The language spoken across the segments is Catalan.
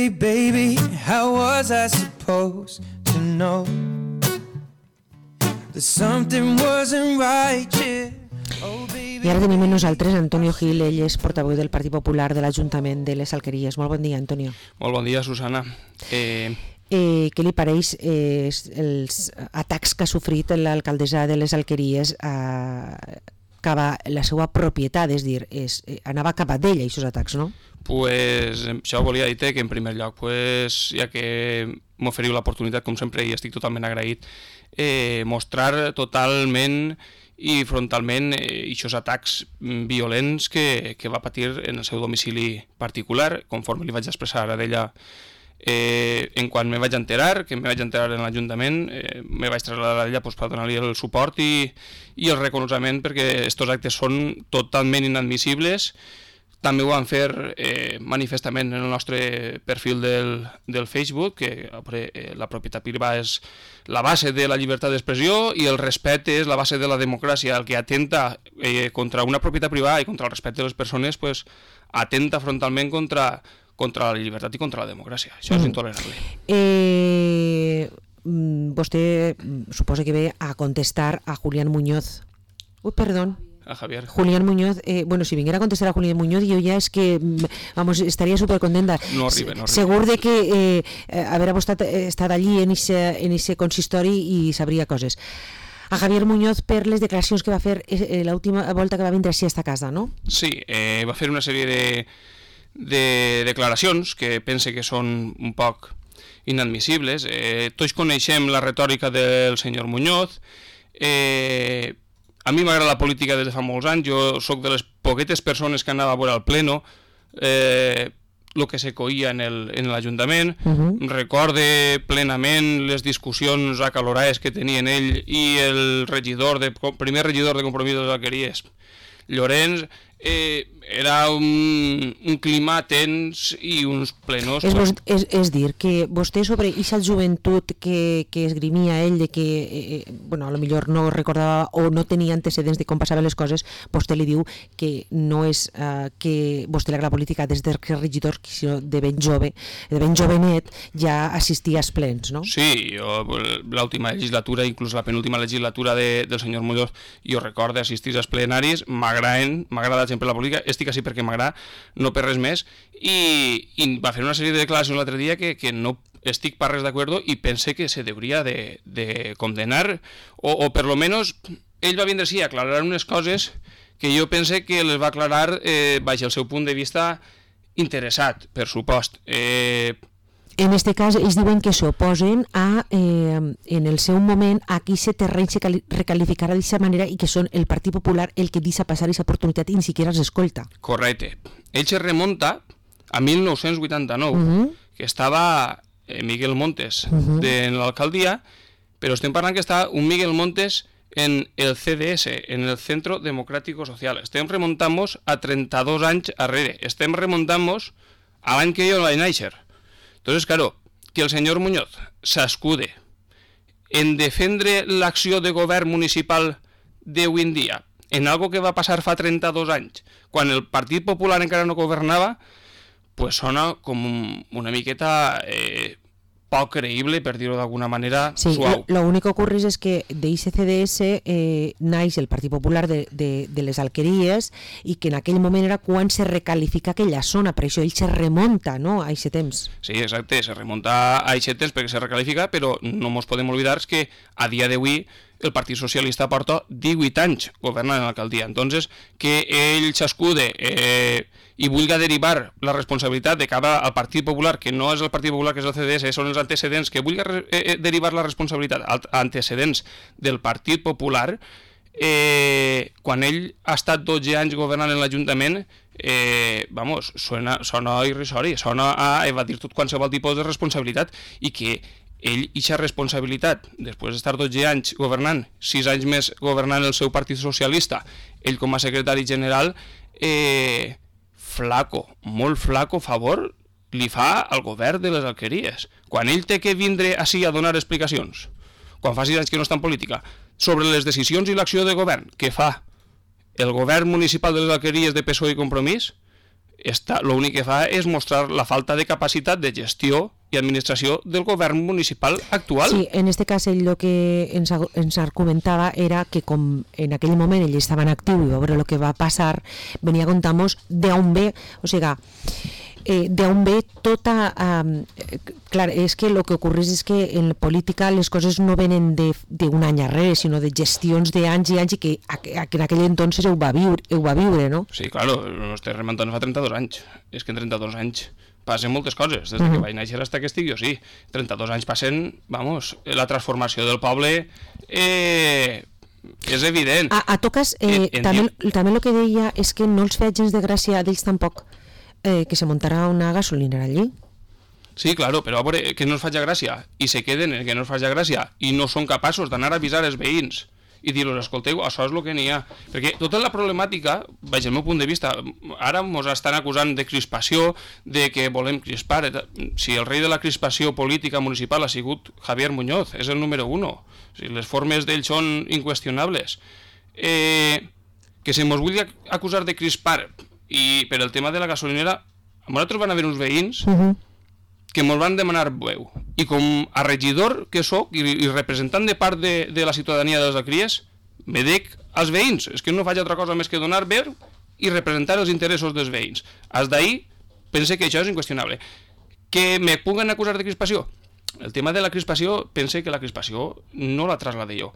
Hey baby, how was I supposed to know that something wasn't right, yeah. I ara tenim amb nosaltres Antonio Gil, ell és portaveu del Partit Popular de l'Ajuntament de les Alqueries. Molt bon dia, Antonio. Molt bon dia, Susana. Què li pareix els atacs que ha sofrit l'alcaldessa de les Alqueries cap a la seva propietat, és dir, anava cap a d'ella, aquests atacs, no? Pues això volia dir que en primer lloc, pues, ja que m'oferiu l'oportunitat, com sempre, i estic totalment agraït, mostrar totalment i frontalment aquests atacs violents que va patir en el seu domicili particular, conforme li vaig expressar a d'ella en quan me vaig enterar en l'Ajuntament, me vaig traslladar a ella per donar-li el suport i el reconeixement, perquè aquests actes són totalment inadmissibles. També ho van fer manifestament en el nostre perfil del Facebook, que la propietat privada és la base de la llibertat d'expressió i el respecte és la base de la democràcia. El que atenta contra una propietat privada i contra el respecte de les persones, pues, atenta frontalment contra la llibertat i contra la democràcia. Això és intolerable. Vostè suposa que ve a contestar a Julián Muñoz. A Javier. Julián Muñoz, si vinguera a contestar a Julián Muñoz, jo ja és que, estaria supercontenta. No arriba. Segur de que haver estat allí en ese consistori i sabria coses. A Javier Muñoz per les declaracions que va fer l'última volta que va vindre així a esta casa, no? Sí, va fer una sèrie de declaracions que pense que són un poc inadmissibles. Tots coneixem la retòrica del senyor Muñoz. A mi m'agrada la política des de fa molts anys, jo sóc de les poquetes persones que anava a veure al pleno el que se coïa en l'Ajuntament. Recorde plenament les discussions acalorades que tenien ell i el primer regidor de Compromís de les Alqueries, Llorenç. Era un clima tens i uns plenos. És dir, que vostè sobre aquesta joventut que esgrimia ell, de que a lo millor no recordava o no tenia antecedents de com passaven les coses, vostè li diu que no és que vostè la política des de regidor, sinó de ben jove, de ben jovenet, ja assistia als plens, no? Sí, jo l'última legislatura, inclús la penúltima legislatura del senyor Muñoz, jo recordo assistir als plenaris, m'agrada sempre la política, estic així perquè m'agrada, no per res més, i va fer una sèrie de declaracions l'altre dia que no estic per res d'acord i pense que se hauria de condenar, o per lo menos ell va vindre així a aclarar unes coses que jo pense que les va aclarar baix el seu punt de vista interessat, per supost. En aquest cas, ells diuen que s'oposen en el seu moment a que aquest terreny se recalificarà d'aquesta manera i que són el Partit Popular el que deixa passar aquesta oportunitat i ni siquiera s'escolta. Correcte. Ell se remunta a 1989, que estava Miguel Montes en l'alcaldia, però estem parlant que està un Miguel Montes en el CDS, en el Centro Democrático Social. Estem remuntant-nos a 32 anys arrere. Estem remuntant-nos a l'any que jo vaig néixer. Entonces, claro, que el señor Muñoz s'escude en defendre l'acció de govern municipal d'avui en dia, en algo que va passar fa 32 anys, quan el Partit Popular encara no governava, pues sona com una miqueta poc creïble, per dir-ho d'alguna manera, suau. Sí, l'únic que ocorre és que d'ICCDS naix el Partit Popular de les Alqueries i que en aquell moment era quan se recalifica aquella zona, per això ell se remunta, no?, a aquest temps. Sí, exacte, se remunta a aquest temps perquè se recalifica, però no ens podem oblidar que a dia d'avui el Partit Socialista porta 18 anys governant en l'alcaldia. Entonces, que ell s'escude i vulgui derivar la responsabilitat de cara al Partit Popular, que no és el Partit Popular, que és el CDS, són els antecedents, que vulgui derivar la responsabilitat als antecedents del Partit Popular, quan ell ha estat 12 anys governant en l'Ajuntament, sona irrisori, sona a evadir tot qualsevol tipus de responsabilitat, i que ell, eixa responsabilitat, després d'estar 12 anys governant, 6 anys més governant el seu Partit Socialista, ell com a secretari general, molt flaco favor li fa al govern de les Alqueries. Quan ell té que vindre així a donar explicacions, quan fa 6 anys que no està en política, sobre les decisions i l'acció de govern que fa el govern municipal de les Alqueries de PSOE i Compromís, l'únic que fa és mostrar la falta de capacitat de gestió i administració del govern municipal actual. Sí, en este cas ell el que ens argumentava era que com en aquell moment ell estava en actiu i va veure el que va passar, venia a contar-nos d'on ve, o sigui, d'on ve tota... clar, és que el que ocorre és que en política les coses no venen d'un any arrere, sinó de gestions d'anys i anys i que en aquell entonces ho va viure, no? Sí, claro, ens estem remuntant fa 32 anys. És que en 32 anys passen moltes coses, des que vaig néixer fins que estic jo, sí. 32 anys passen, vamos, la transformació del poble és evident. A toques, també el que deia és que no els feia gens de gràcia d'ells tampoc que se muntarà una gasolinera allí. Sí, claro, però a veure, que no els faig gràcia, i se queden en que no els faig gràcia, i no són capaços d'anar a avisar els veïns, i dir-los, escolteu, això és el que n'hi ha. Perquè tota la problemàtica, vaig al meu punt de vista, ara ens estan acusant de crispació, de que volem crispar. Si el rei de la crispació política municipal ha sigut Javier Muñoz, és el número 1. O sigui, les formes d'ell són inqüestionables. Que se mos vulgui acusar de crispar, i per el tema de la gasolinera, a nosaltres van haver uns veïns que ens van demanar veu. I com a regidor que sóc i representant de part de la ciutadania de les Alqueries, me dec als veïns. És que no faig altra cosa més que donar veu i representar els interessos dels veïns. Des d'ahir pense que això és inqüestionable. Que me puguen acusar de crispació? El tema de la crispació, pense que la crispació no la traslade jo.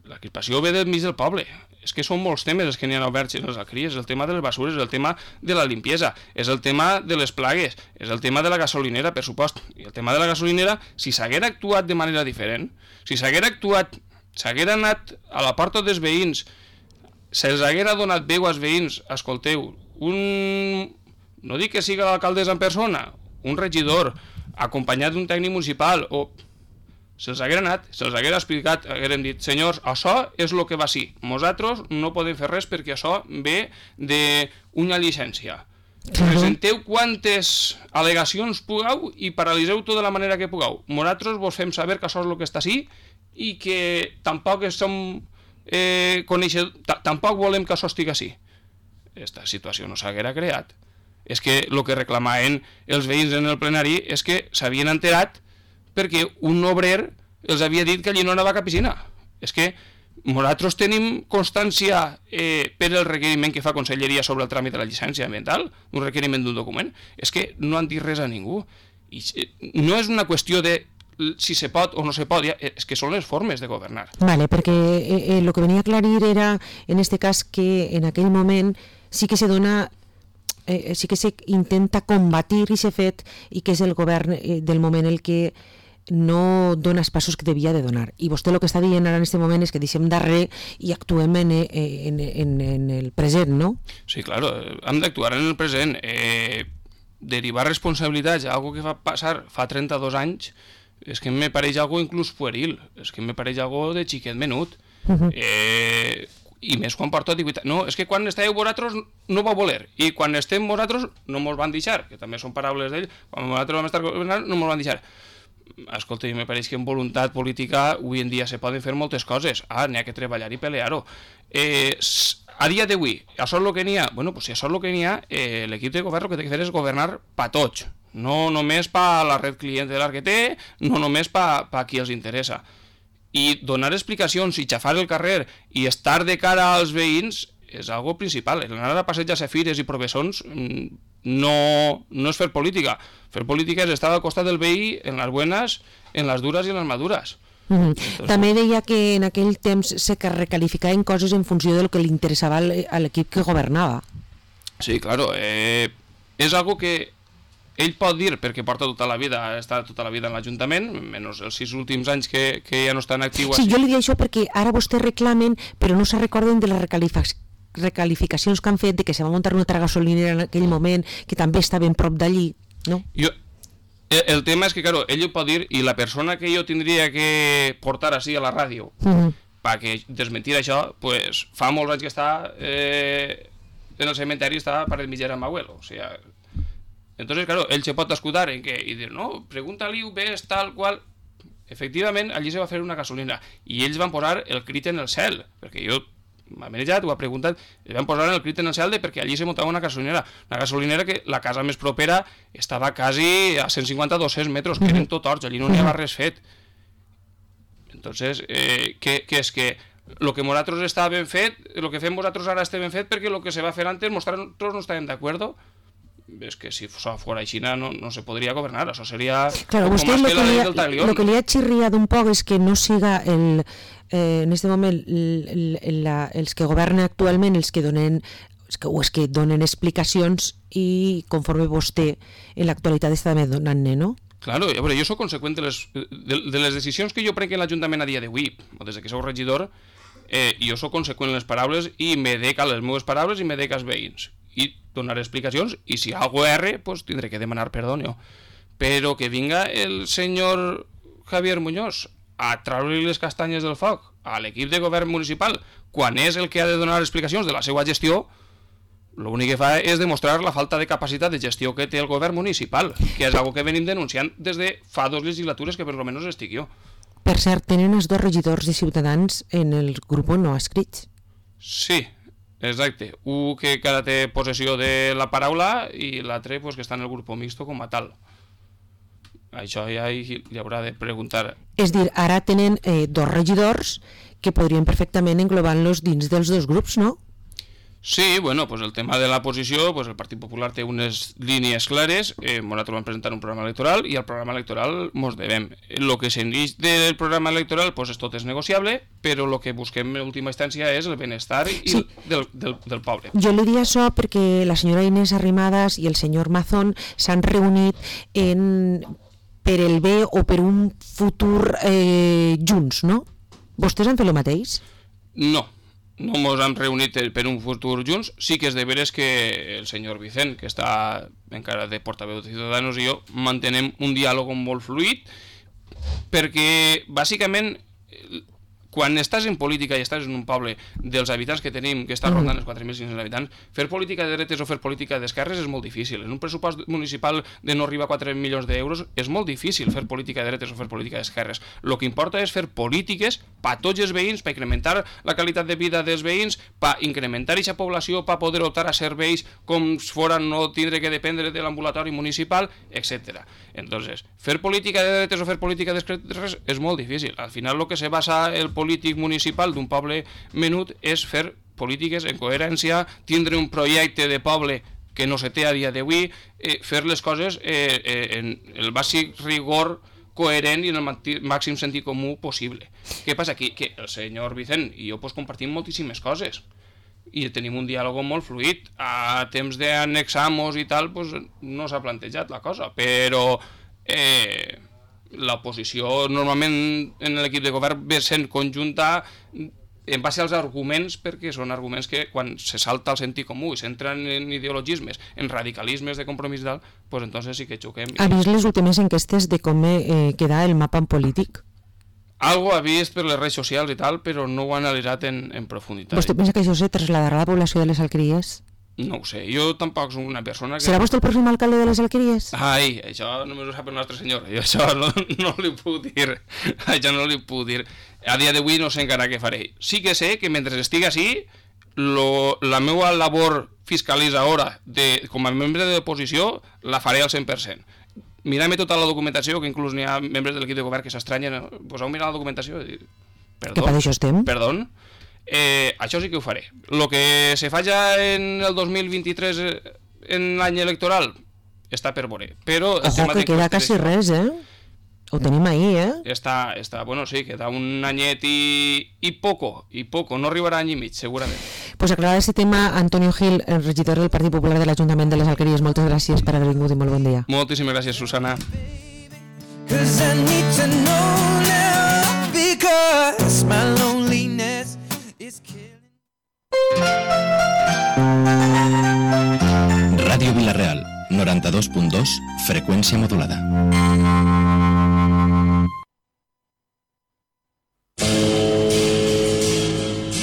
La crispació ve del mig del poble. És que són molts temes els que n'hi ha oberts en les Alqueries. És el tema de les basures, és el tema de la limpiesa, és el tema de les plagues, és el tema de la gasolinera, per supost. I el tema de la gasolinera, si s'haguera actuat de manera diferent, si s'haguera anat a la porta dels veïns, se'ls haguera donat veu als veïns, escolteu, no dic que sigui l'alcaldessa en persona, un regidor, acompanyat d'un tècnic municipal, o se'ls haguera anat, se'ls haguera explicat, haguérem dit, senyors, això és el que va ser. Nosaltres no podem fer res perquè això ve d'una llicència. Presenteu quantes al·legacions pugueu i paralitzeu tot de la manera que pugueu. Nosaltres vos fem saber que això és el que està així i que tampoc som tampoc volem que això estigui així. Aquesta situació no s'haguera creat. És que el que reclamaven els veïns en el plenari és que s'havien enterat perquè un obrer els havia dit que allí no anava a cap piscina. És que nosaltres tenim constància per el requeriment que fa Conselleria sobre el tràmit de la llicència ambiental, un requeriment d'un document. És que no han dit res a ningú. I no és una qüestió de si se pot o no se pot, és que són les formes de governar. Vale, perquè el que venia a aclarir era, en este cas, que en aquell moment sí que se dona sí que se intenta combatir aquest fet i que és el govern del moment el que no dona els passos que devia de donar. I vostè el que està dient ara en aquest moment és que deixem darrere i actuem en el present, no? Sí, claro, hem d'actuar en el present. Derivar responsabilitats a algo que va passar fa 32 anys és que me pareix algo inclús pueril, és que me pareix algo de xiquet menut. I més quan porta dignitat. No, és que quan estàveu vosaltres no vau voler, i quan estem vosaltres no mos van deixar, que també són paraules d'ell, quan vosaltres vam estar governant no mos van deixar. Escolta, me pareix que en voluntat política avui en dia se poden fer moltes coses. N'hi ha que treballar i pelear-ho. A dia d'avui, això és el que n'hi ha? Bueno, pues si això és el que n'hi ha, l'equip de govern el que té que fer és governar pa tots, no només pa la red clientelar que té, no només pa qui els interessa. I donar explicacions i xafar el carrer i estar de cara als veïns és algo principal. Anar a passeig a Cefires i Provessons no és fer política. Fer política és estar al costat del veí en les buenas, en les dures i en les madures. També deia que en aquell temps se recalificaven coses en funció del que li interessava a l'equip que governava. Sí, claro. És algo que ell pot dir, perquè porta tota la vida, ha estat tota la vida en l'Ajuntament, menys els 6 últims anys que ja no està en actiu. Sí, jo li dic això perquè ara vostès reclamen, però no se recorden de les recalificacions que han fet, de que se va muntar una altra gasolinera en aquell moment, que també està ben prop d'allí, no? El tema és que, claro, ell ho pot dir, i la persona que jo tindria que portar així a la ràdio perquè desmentir això, pues, fa molts anys que està en el cementeri, està per el mitjà amb abuelo, o sigui... Entonces, claro, él se pot escudar en que, y dir, no, pregunta-li, ves, tal qual... Efectivament, allí se va fer una gasolina, i ells van posar el crit en el cel, perquè jo m'ha manejat, ho ha preguntat, i vam posar en el crit en el cel perquè allí se montava una gasolinera que la casa més propera estava quasi a 150-200 metres, que eren tot horts, allí no n'hi havia res fet. Entonces, què és que el que nosaltres està ben fet, el que fem nosaltres ara està ben fet perquè el que se va fer antes nosaltres no estàvem d'acord. Es que si fuera China no se podría gobernar, eso sería claro, poco más que la ley del talión. Lo que li ha chirriat un poc és que no siga en este moment els que governen actualment els que donen explicacions i conforme vostè en l'actualitat està també donant-ne, no? Claro, a veure, jo soc conseqüent de les decisions que jo prenc en l'Ajuntament a dia d'avui, o des que soc regidor, jo soc conseqüent en les paraules i me dec a les meves paraules i me dec als veïns. I donar explicacions, i si algo erre, pues tindré que demanar perdó, però que vinga el senyor Javier Muñoz a treure-li les castanyes del foc a l'equip de govern municipal, quan és el que ha de donar explicacions de la seva gestió, l'únic que fa és demostrar la falta de capacitat de gestió que té el govern municipal, que és algo que venim denunciant des de fa 2 legislatures que per lo menos estic jo. Per cert, tenen els 2 regidors de Ciutadans en el grup no escrits. Sí, exacte. Un que encara té possessió de la paraula i l'altre pues, que està en el grup mixto com a tal. Això ja li haurà de preguntar. És dir, ara tenen 2 regidors que podrien perfectament englobar-los dins dels 2 grups, no? Sí, bueno, pues el tema de la posició, pues el Partit Popular té unes línies clares, nosaltres vam presentar un programa electoral i al programa electoral mos devem. El que s'eneix del programa electoral pues tot és negociable, però el que busquem en última instància és el benestar i del poble. Jo li diria això perquè la senyora Inés Arrimadas i el senyor Mazón s'han reunit per el bé o per un futur junts, no? Vostès han fet el mateix? No ens hem reunit per un futur junts. Sí que és de veres que el senyor Vicent, que està encara de portaveu de Ciutadans, i jo mantenem un diàleg molt fluid, perquè bàsicament quan estàs en política i estàs en un poble dels habitants que tenim, que està rondant els 4.500 habitants, fer política de dretes o fer política d'esquerres és molt difícil. En un pressupost municipal de no arribar a 4 milions d'euros és molt difícil fer política de dretes o fer política d'esquerres. El que importa és fer polítiques per tots els veïns, per incrementar la qualitat de vida dels veïns, per incrementar aquesta població, per poder optar a serveis com fora no tindre que dependre de l'ambulatori municipal, etc. Entonces, fer política de dretes o fer política d'esquerres és molt difícil. Al final, el que se basa el polític municipal d'un poble menut és fer polítiques en coherència, tindre un projecte de poble que no se té a dia d'avui, fer les coses en el bàsic rigor coherent i en el màxim sentit comú possible. Què passa aquí? Que el senyor Vicent i jo pues, compartim moltíssimes coses i tenim un diàleg molt fluid. A temps d'annexar-nos i tal pues, no s'ha plantejat la cosa, però l'oposició normalment en l'equip de govern ve sent conjunta en base als arguments, perquè són arguments que quan se salta el sentit comú i s'entren en ideologismes, en radicalismes de compromís i tal, pues entonces sí que xoquem. Ha vist les últimes enquestes de com queda el mapa en polític? Algo ha vist per les redes socials i tal, però no ho ha analitzat en profunditat. Vostè pensa que això se trasladarà a la població de les Alqueries? No ho sé, jo tampoc soc una persona que... Serà vostè el pròxim alcalde de les Alqueries? Ai, això només ho sap el nostre senyor, jo això no li puc dir, això no li puc dir. A dia d'avui no sé encara què faré. Sí que sé que mentre estigui així, la meva labor fiscalitzadora com a membre de l'oposició la faré al 100%. Mirem tota la documentació, que inclús n'hi ha membres de l'equip de govern que s'estranyen, poseu mirar la documentació i dir, que per això estem? Perdó. Això sí que ho faré. El que se fa ja en el 2023 en l'any electoral està per veure. Però ojo, que queda quasi res, Ho tenim ahir, Està, bueno, sí, queda un anyet i poco, no arribarà any i mig, segurament. Pues aclarar este tema, Antonio Gil, el regidor del Partit Popular de l'Ajuntament de les Alqueries, moltes gràcies per haver vingut i molt bon dia. Moltíssimes gràcies, Susana. Ràdio Vila-real, 92.2, freqüència modulada.